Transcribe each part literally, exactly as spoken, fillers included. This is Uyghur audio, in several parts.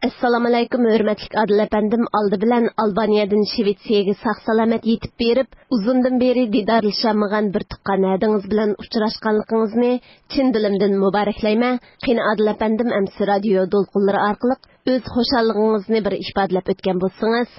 ئەسسالامۇئەلەيكۇم، ھۆرمەتلىك ئادىل ئەپەندىم. ئالدى بىلەن ئالبانىيەدىن شىۋېتسىيەگە ساق-سالامەت يېتىپ بېرىپ، ئۇزۇندىن بېرى دىدارلىشالمىغان بىر تۇغقان ھەدىڭىز بىلەن ئۇچراشقانلىقىڭىزنى چىن دىلىمدىن مۇبارەكلەيمەن. قېنى ئادىل ئەپەندىم، ئەمسە رادىيو دولقۇنلىرى ئارقىلىق ئۆز خۇشاللىقىڭىزنى بىر ئىپادىلەپ ئۆتكەن بولسىڭىز.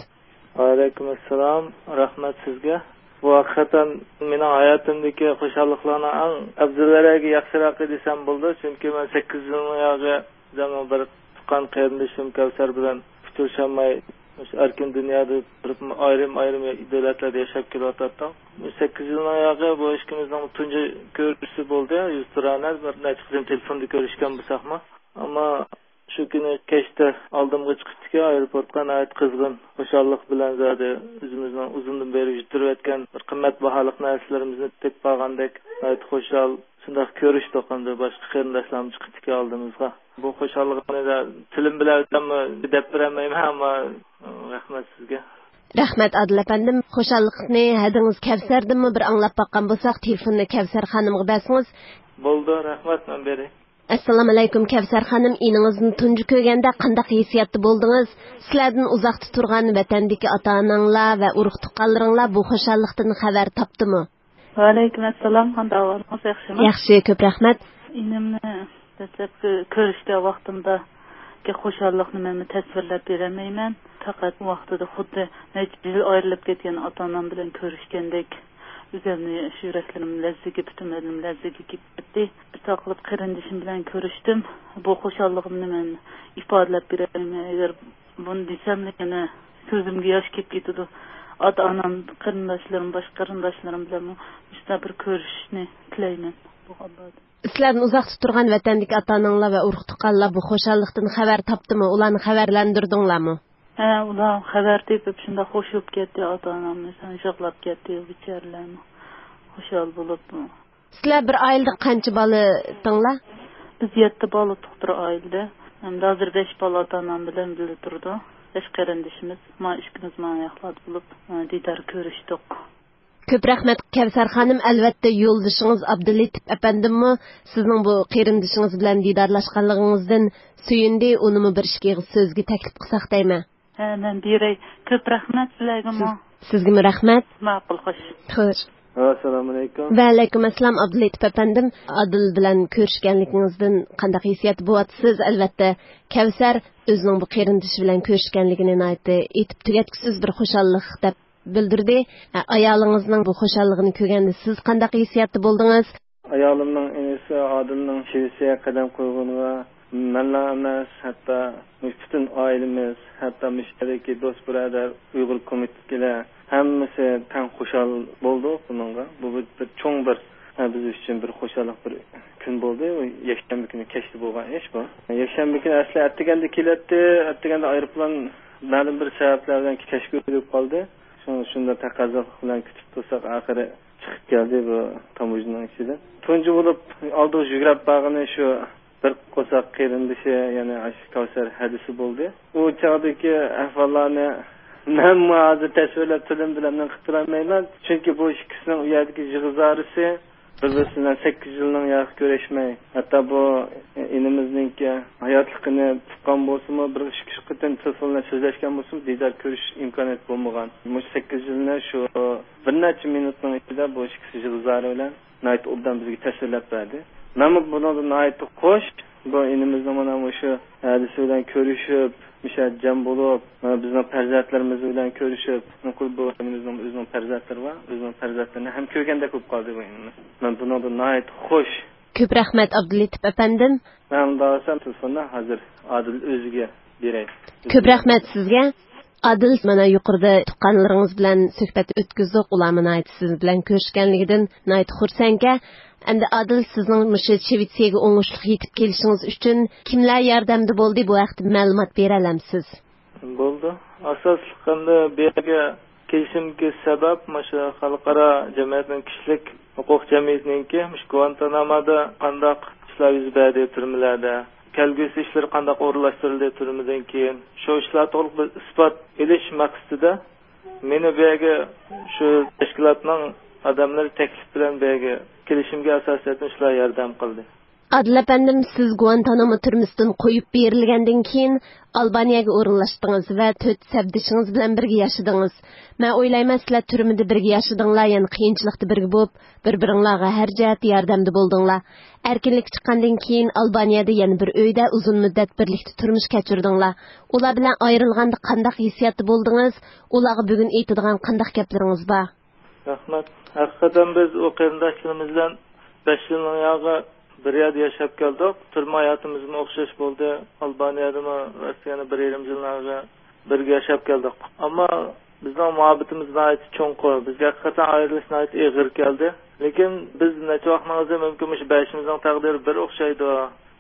ۋەئەلەيكۇم ئەسسالام. رەھمەت سىزگە. بۇ ھەقىقەتەن مېنىڭ ھاياتىمدىكى خۇشاللىقلارنىڭ ئەڭ ئەۋزەلرەكى، ياخشىراقى دېسەم بولىدۇ. چۈنكى مەن سەككىز يىلنىڭ ياغى بىزنىڭ بىر تۇغقان قېرىندىشىم كەۋسەر بىلەن ئۇچرىشالماي، مۇشۇ ئەركىن دۇنيادا تۇرۇپ، ئايرىم-ئايرىم دۆلەتلەردە ياشاپ كېلىۋاتاتتۇق. مۇشۇ سەككىز يىلنىڭ ياغى بۇ ئىككىمىزنىڭ تۇنجى كۆرۈشۈشى بولدى. يۈزتۇرانە بىر نەچچە قېتىم تېلېفوندا كۆرۈشكەن بولساقمۇ. ئەمما شۇ كۈنى كەچتە ئالدىمغا چىقىپتىكەن، ئايروپورتقا ناھايىتى قىزغىن، خۇشاللىق بىلەن زادى ئۆزىمىزنىڭ ئۇزۇندىن بېرى يۈتتۈرۈۋەتكەن بىر قىممەت باھالىق نەرسىلىرىمىزنى تېپىپ قالغاندەك ناھايىتى خۇشال. شۇنداق كۆرۈشتۇق، ئەمدى باشقا قېرىنداشلارمۇ چىقىپتىكەن ئالدىمىزغا. بۇ خۇشاللىقىمنى تىلىم بىلەن ئۆزۈممۇ دەپ بېرەلمەيمەن، ئەمما رەھمەت سىزگە. رەھمەت ئادىل ئەپەندىم. خۇشاللىقنى ھەدىڭىز كەۋسەردىنمۇ بىر ئاڭلاپ باققان بولساق، تېلېفوننى كەۋسەر خانىمغا بەرسىڭىز. بولىدۇ، رەھمەت، مەن بېرەي. ئەسسالامۇئەلەيكۇم، كەۋسەر خانىم، ئىنىڭىزنى تۇنجى كۆرگەندە قانداق ھېسسىياتتا بولدىڭىز؟ سىلەردىن ئۇزاقتا تۇرغان ۋەتەندىكى ئاتا-ئاناڭلار ۋە ئۇرۇق-تۇغقانلىرىڭلار بۇ خۇشاللىقتىن خەۋەر تاپتىمۇ؟ ۋەئەلەيكۇم ئەسسالام، قانداق ئەھۋالىڭىز، ياخشىمۇ؟ ياخشى، كۆپ رەھمەت. ئىنىمنى دەسلەپكى كۆرۈشكەن ۋاقتىمدىكى خۇشاللىقنى مەنمۇ تەسۋىرلەپ بېرەلمەيمەن. پەقەت ۋاقتىدا خۇددى نەچچە يىل ئايرىلىپ كەتكەن ئاتا-ئانام بىلەن كۆرۈشكەندەك ئۆزۈمنى شۇ يۈرەكلىرىم لەرزىگە، پۈتۈن بەدىنىم لەرزىگە كېلىپ كەتتى. بىر تاقلىپ قېرىندىشىم بىلەن كۆرۈشتۈم. بۇ خۇشاللىقىمنى مەن ئىپادىلەپ بېرەلمەي، ئەگەر بۇنى دېسەملا يەنە كۆزۈمگە ياش كېلىپ كېتىدۇ. ئاتا-ئانام، قېرىنداشلىرىم، باشقا قېرىنداشلىرىم بىلەنمۇ مۇشۇنداق بىر كۆرۈشۈشنى تىلەيمەن بۇ ئاپادا. سىلەردىن ئۇزاقتا تۇرغان ۋەتەندىكى ئاتا-ئاناڭلار ۋە ئۇرۇق-تۇغقانلار بۇ خۇشاللىقتىن خەۋەر تاپتىمۇ؟ ئۇلارنى خەۋەرلەندۈردۈڭلارمۇ؟ ھە، ئۇلار خەۋەر تېپىپ شۇنداق خوش بولۇپ كەتتى، ئاتا-ئانامنى يىغلاپ كەتتى، بىچارىلەرمۇ خۇشال بولۇپ. سىلەر بىر ئائىلىدە قانچە بالا ئىدىڭلار؟ بىز يەتتە بالا ئىدۇق بىر ئائىلىدە. ئەمدى ھازىر بەش بالا ئاتا-ئانام بىلەن بىللە تۇرىدۇ. بەش قېرىندىشىمىز. ما ئىككىمىز مانا ياقلاردا بولۇپ، دىدار كۆرۈشتۇق. كۆپ رەھمەت، كەۋسەر خانىم. ئەلۋەتتە، يولدىشىڭىز ئابدۇللېتىپ ئەپەندىممۇ سىزنىڭ بۇ قېرىندىشىڭىز بىلەن دىدارلاشقانلىقىڭىزدىن سۆيۈندى. ئۇنىمۇ بىر ئىككى ئېغىز سۆزگە تەكلىپ قىلساق دەيمەن. ھە، مەن بېرەي. كۆپ رەھمەت سىلەرگىمۇ. سىز-، سىزگىمۇ رەھمەت. ماقۇل، خوش. خوش. ئەسسالامۇئەلەيكۇم. ۋەئەلەيكۇم ئەسسالام، ئابدۇللېتىپ ئەپەندىم. ئادىل بىلەن كۆرۈشكەنلىكىڭىزدىن قانداق ھېسسىياتتا بولۇۋاتىسىز؟ ئەلۋەتتە، كەۋسەر ئۆزىنىڭ بۇ قېرىندىشى بىلەن كۆرۈشكەنلىكىنى ناھايىتى ئېيتىپ تۈگەتكۈسىز بىر خۇشاللىق دەپ بىلدۈردى. ئە، ئايالىڭىزنىڭ بۇ خۇشاللىقىنى كۆرگەندە سىز قانداق ھېسسىياتتا بولدىڭىز؟ ئايالىمنىڭ ئىنىسى ئادىلنىڭ شىۋېتسىيەگە قەدەم قويغىنىغا مەنلا ئەمەس، ھەتتا مۇشۇ پۈتۈن ئائىلىمىز، ھەتتا مۇشۇ يەردىكى دوست-بۇرادەر، ئۇيغۇر كومىتېتىدىكىلەر ھەممىسى تەڭ خۇشال بولدۇق بۇنىڭغا. بۇ بىر، بىر چوڭ بىر، ھە، بىز ئۈچۈن بىر خۇشاللىق بىر كۈن بولدى. بۇ يەكشەنبە كۈنى كەچتە بولغان ئىش بۇ. يەكشەنبە كۈنى ئەسلى ئەتىگەندە كېلەتتى، ئەتىگەندە ئايروپىلان مەلۇم بىر سەۋەبلەر بىلەن كەچ كۆيدۈرۈپ قالدى. شۇ-، شۇنداق تەقەززالىق بىلەن كۈتۈپ تۇرساق، ئاخىرى چىقىپ كەلدى بۇ تاموژنىنىڭ ئىچىدىن. تۇنجى بولۇپ ئالدىغا يۈگرەپ بارغىنى شۇ بىر قورساق قېرىندىشى، يەنى ئاشۇ كەۋسەر ھەدىسى بولدى. ئۇ چاغدىكى ئەھۋاللارنى مەنمۇ ھازىر تەسۋىرلەپ تىلىم بىلەن قىلىپ بېرەلمەيمەن. چۈنكى بۇ ئىككىسىنىڭ ئۇ يەردىكى يىغا-زارىسى، بىر-بىرسى بىلەن سەككىز يىلنىڭ ياقى كۆرۈشمەي، ھەتتا بۇ ئىنىمىزنىڭكى ھاياتلىقىنى تۇتقان بولسىمۇ، بىر ئىككى، ئۈچ قېتىم تېلېفون بىلەن سۆزلەشكەن بولسىمۇ، دىدار كۆرۈش ئىمكانىيەت بولمىغان. مۇشۇ سەككىز يىلنى شۇ بىر نەچچە مىنۇتنىڭ ئىچىدە بۇ ئىككىسى يىغا-زارى بىلەن ناھايىتى ئوبدان بىزگە تەسۋىرلەپ بەردى. مەنمۇ بۇنىڭدىن ناھايىتى خوش. بۇ ئىنىمىزنىڭ مانا مۇشۇ ھەدىسى بىلەن كۆرۈشۈپ، مۇشۇ يەردە جەم بولۇپ، مانا بىزنىڭ پەرزەنتلىرىمىز بىلەن كۆرۈشۈپ، چۈنكى بۇ ئىنىمىزنىڭ ئۆزىنىڭ پەرزەنتلىرى بار، ئۆزىنىڭ پەرزەنتلىرىنى ھەم كۆرگەندەك بولۇپ قالدى بۇ ئىنىمىز. مەن بۇنىڭدىن ناھايىتى خوش. كۆپ رەھمەت، ئابدۇللېتىپ ئەپەندىم. مەن ئۇنداق دېسەم، تېلېفوننى ھازىر ئادىل ئۆزىگە بېرەي. كۆپ رەھمەت سىزگە. ئادىل، مانا يۇقىرىدا تۇغقانلىرىڭىز بىلەن سۆھبەت ئۆتكۈزدۇق، ئۇلارمۇ ناھايىتى سىز بىلەن كۆرۈشكەنلىكىدىن ناھايىتى خۇرسەنكەن. ئەمدى ئادىل، سىزنىڭ مۇشۇ شىۋېتسىيەگە ئوڭۇشلۇق يېتىپ كېلىشىڭىز ئۈچۈن كىملەر ياردەمدە بولدى؟ بۇ ھەقتە مەلۇمات بېرەلەمسىز؟ بولدى. ئاساسلىق ئەمدى بۇ يەرگە كېلىشىمدىكى سەۋەب مۇشۇ خەلقئارا جەمئىيەتنىڭ، كىشىلىك ھوقۇق جەمئىيىتىنىڭكى مۇشۇ گۇئانتانامودا قانداق ئىشلار يۈز بەردى تۈرمىلەردە، كەلگۈسى ئىشلىرى قانداق ئورۇنلاشتۇرۇلدى تۈرمىدىن كېيىن، شۇ ئىشلار توغرىلىق بىر ئىسپات ئېلىش مەقسىتىدە مېنى بۇ يەرگە شۇ تەشكىلاتنىڭ ئادەملىرى تەكلىپ بىلەن بۇ يەرگە كېلىشىمگە ئاساسەن شۇلار ياردەم قىلدى. ئادىل ئەپەندىم، سىز گۇئانتانامو تۈرمىسىدىن قويۇپ بېرىلگەندىن كېيىن ئالبانىيەگە ئورۇنلاشتىڭىز ۋە تۆت سەپدىشىڭىز بىلەن بىرگە ياشىدىڭىز. مەن ئويلايمەن، سىلەر تۈرمىدە بىرگە ياشىدىڭلار، يەنە قىيىنچىلىقتا بىرگە بولۇپ، بىر-بىرىڭلارغا ھەر جەھەتتە ياردەمدە بولدۇڭلار. ئەركىنلىككە چىققاندىن كېيىن ئالبانىيەدە يەنە بىر ئۆيدە ئۇزۇن مۇددەت بىرلىكتە تۇرمۇش كەچۈردۈڭلار. ئۇلار بىلەن ئايرىلغاندا قانداق ھېسسىياتتا بولدىڭىز؟ ئۇلارغا بۈگۈن ئېيتىدىغان قانداق گەپلىرىڭىز بار؟ رەھمەت. ھەقىقەتەن بىز ئۇ قېرىنداشلىرىمىز بىلەن بەش يىلنىڭ ياغى بىر يەردە ياشاپ كەلدۇق. تۈرمە ھاياتىمىزمۇ ئوخشاش بولدى. ئالبانىيەدىمۇ رەسمىي يەنە بىر يېرىم يىلنىڭ ياغى بىرگە ياشاپ كەلدۇق. ئەمما بىزنىڭ مۇھەببىتىمىز ناھايىتى چوڭقۇر. بىزگە ھەقىقەتەن ئايرىلىش ناھايىتى ئېغىر كەلدى. لېكىن بىز نەچچە ۋاقىتنىڭ ئۆزى مۇمكىن مۇشۇ بەشىمىزنىڭ تەقدىرى بىر ئوخشايدۇ.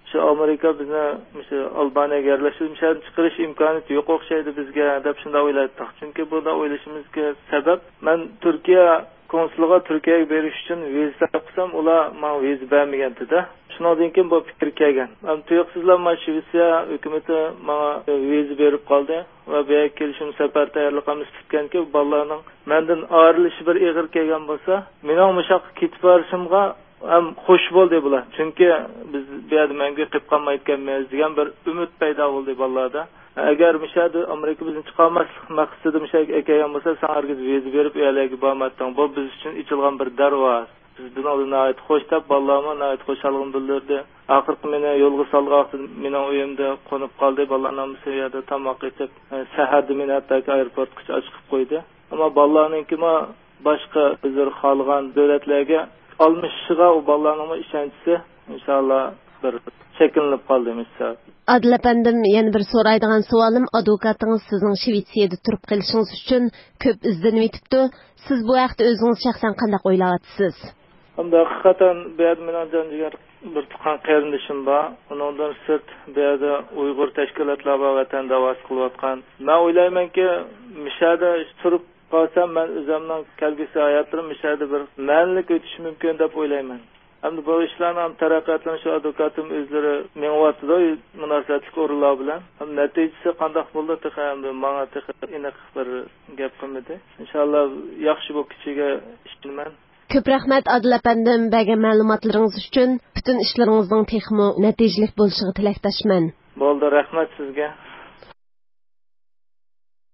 شۇ ئامېرىكا بىزنى مۇشۇ ئالبانىيەگە يەرلەشتۈرۈپ، مۇشۇ يەردىن چىقىرىش ئىمكانىيىتى يوق ئوخشايدۇ بىزگە، دەپ شۇنداق ئويلايتتۇق. چۈنكى بۇنداق ئويلىشىمىزغا سەۋەب، مەن تۈركىيە كونسۇلىغا تۈركىيەگە بېرىش ئۈچۈن ۋىزا تەلەپ قىلسام، ئۇلار ماڭا ۋىزا بەرمىگەنتىدە. شۇنىڭدىن كېيىن بۇ پىكىر كەلگەن. ئەمما تۇيۇقسىزلا مانا شىۋېتسىيە ھۆكۈمىتى ماڭا ۋىزا بېرىپ قالدى ۋە بۇ يەرگە كېلىشىم سەپەر تەييارلىقىمىز پۈتكەنكى، بالىلارنىڭ مەندىن ئايرىلىشى بىر ئېغىر كەلگەن بولسا، مېنىڭ مۇشۇ ياققا كېتىپ بېرىشىمغا ھەم خوش بولدى بۇلار. چۈنكى بىز بۇ يەردە مەڭگۈ قېلىپ قالمايدىكەنمىز دېگەن بىر ئۈمىد پەيدا بولدى بالىلاردا. ئەگەر مۇشۇ يەردە ئامېرىكا بىزنى چىقارماسلىق مەقسىتىدە مۇشۇ يەرگە ئەكەلگەن بولسا، ساڭا ھەرگىز ۋىزا بېرىپ، ئۇ يەرلەرگە بارمايتتىڭ. بۇ بىز ئۈچۈن ئېچىلغان بىر دەرۋازا. بىز بۇنىڭدىن ناھايىتى خوش، دەپ بالىلارمۇ ناھايىتى خۇشاللىقىنى بىلدۈردى. ئاخىرقى مېنى يولغا سالغان ۋاقتىدا مېنىڭ ئۆيۈمدە قونۇپ قالدى. بالىلارنىڭ ھەممىسى ئۇ يەردە تاماق ئېتىپ، سەھەردە مېنى ھەتتاكى ئايروپورتقىچە ئاچىقىپ قويدى. ئەمما بالىلارنىڭكىمۇ باشقا ئۆزلىرى خالىغان دۆلەتلەرگە ئالمىشىشىغا ئۇ بالىلارنىڭمۇ ئىشەنچىسى، ئىنشاللا، بىر شەكىللىنىپ قالدى مۇشۇ سەۋەب. ئادىل ئەپەندىم، يەنە بىر سورايدىغان سوئالىم، ئادۋوكاتىڭىز سىزنىڭ شىۋېتسىيەدە تۇرۇپ قېلىشىڭىز ئۈچۈن كۆپ ئىزدىنىۋېتىپتۇ. سىز بۇ ھەقتە ئۆزىڭىز شەخسەن قانداق ئويلاۋاتىسىز؟ ئەمدى ھەقىقەتەن بۇ يەردە مېنىڭ جان جىگەر بىر تۇغقان قېرىندىشىم بار. ئۇنىڭدىن سىرت بۇ يەردە ئۇيغۇر تەشكىلاتلار بار، ۋەتەن داۋاسى قىلىۋاتقان. مەن ئويلايمەنكى، مۇشۇ يەردە تۇرۇپ قالسام، مەن ئۆزۈمنىڭ كەلگۈسى ھاياتلىرىم مۇشۇ يەردە بىر مەنىلىك ئۆتۈشى مۇمكىن دەپ ئويلايمەن. ئەمدى بۇ ئىشلارنىڭ ھەم تەرەققىياتلىرىنى شۇ ئادۋوكاتىم ئۆزلىرى مېڭىۋاتىدۇ، مۇناسىۋەتلىك ئورۇنلار بىلەن. ھەم نەتىجىسى قانداق بولىدۇ، تېخى ئەمدى ماڭا تېخى ئېنىق بىر گەپ قىلمىدى. ئىنشاللا ياخشى بولۇپ كېتىشىگە ئىشىنىمەن. كۆپ رەھمەت، ئادىل ئەپەندىم، بەرگەن مەلۇماتلىرىڭىز ئۈچۈن. پۈتۈن ئىشلىرىڭىزنىڭ تېخىمۇ نەتىجىلىك بولۇشىغا تىلەكداشمەن. بولدى، رەھمەت سىزگە.